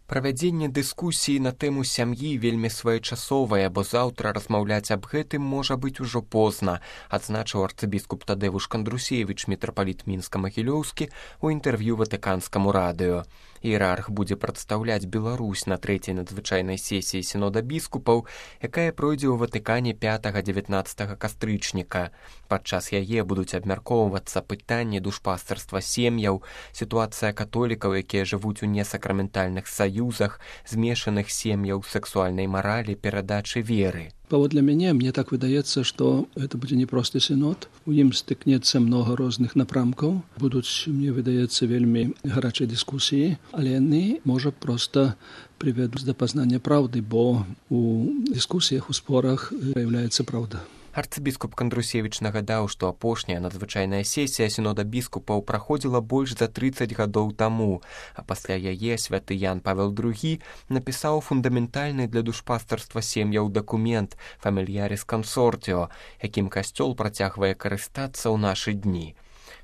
Правядзенне дыскусіі на тэму сям'і вельмі своечасовае, бо заўтра размаўляць аб гэтым можа быць ужо позна, адзначыў арцыбіскуп Тадзеуш Кандрусевіч, мітрапаліт Мінска-Магілёўскі, у інтэрв'ю Ватыканскаму радыё. Іерарх будзе прадстаўляць Беларусь на трэцяй надзвычайнай сесіі сінода біскупаў, якая пройдзе ў Ватыкане 5-19 кастрычніка. Падчас яе будуць абмяркоўвацца пытанні душпастарства сем'яў, сітуацыя католікаў, якія жывуць у несакраментальных саюзах, змешаных сем'яў, сексуальнай маралі, перадачы веры. Паводле мяне, мне так выдаецца, што гэта будзе непросты сінод. У ім стыкнецца многа розных напрамкаў. Будуць, мне выдаецца, вельмі гарачыя дыскусіі, але яны, можа, проста прывядуць да пазнання праўды, бо у дыскусіях, у спорах з'яўляецца праўда. Арцыбіскуп Кандрусевіч нагадаў, што апошняя надзвычайная сесія сінода біскупаў праходзіла больш за 30 гадоў таму, а пасля яе святы Ян Павел II напісаў фундаментальны для душпастарства сем'яў дакумент «Фамільяріс Кансортіо», якім касцёл працягвае карыстацца ў нашы дні.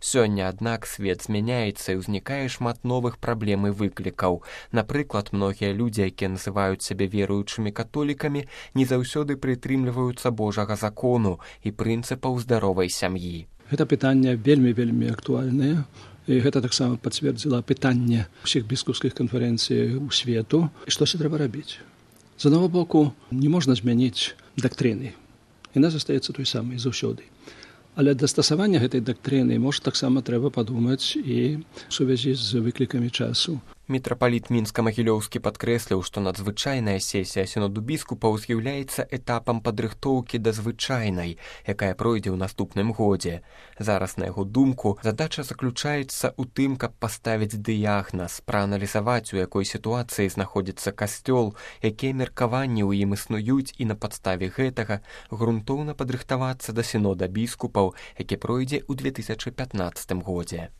Сёння, аднак, свет змяняецца і ўзнікае шмат новых праблем і выклікаў. Напрыклад, многія людзі, якія называюць сябе веруючымі католікамі, не заўсёды прытрымліваюцца Божага закону і прынцыпаў здаровай сям'і. Гэта пытанне вельмі актуальнае. І гэта таксама пацвердзіла пытанне ўсіх біскупскіх канферэнцый у свету. І што трэба рабіць? З аднаго боку, не можна змяніць дактрыны. Яна застаецца той самай заўсёды. Але дастасавання гэтай дактрыны, можа, таксама трэба падумаць і ў сувязі з выклікамі часу. Мітрапаліт Мінска-Магілёўскі падкрэсліў, што надзвычайная сесія сіноду біскупаў з'яўляецца этапам падрыхтоўкі да звычайнай, якая пройдзе ў наступным годзе. Зараз, на яго думку, задача заключаецца ў тым, каб паставіць дыягназ, прааналізаваць, у якой сітуацыі знаходзіцца касцёл, якія меркаванні ў ім існуюць, і на падставе гэтага грунтоўна падрыхтавацца да сінода біскупаў, які пройдзе ў 2015 годзе.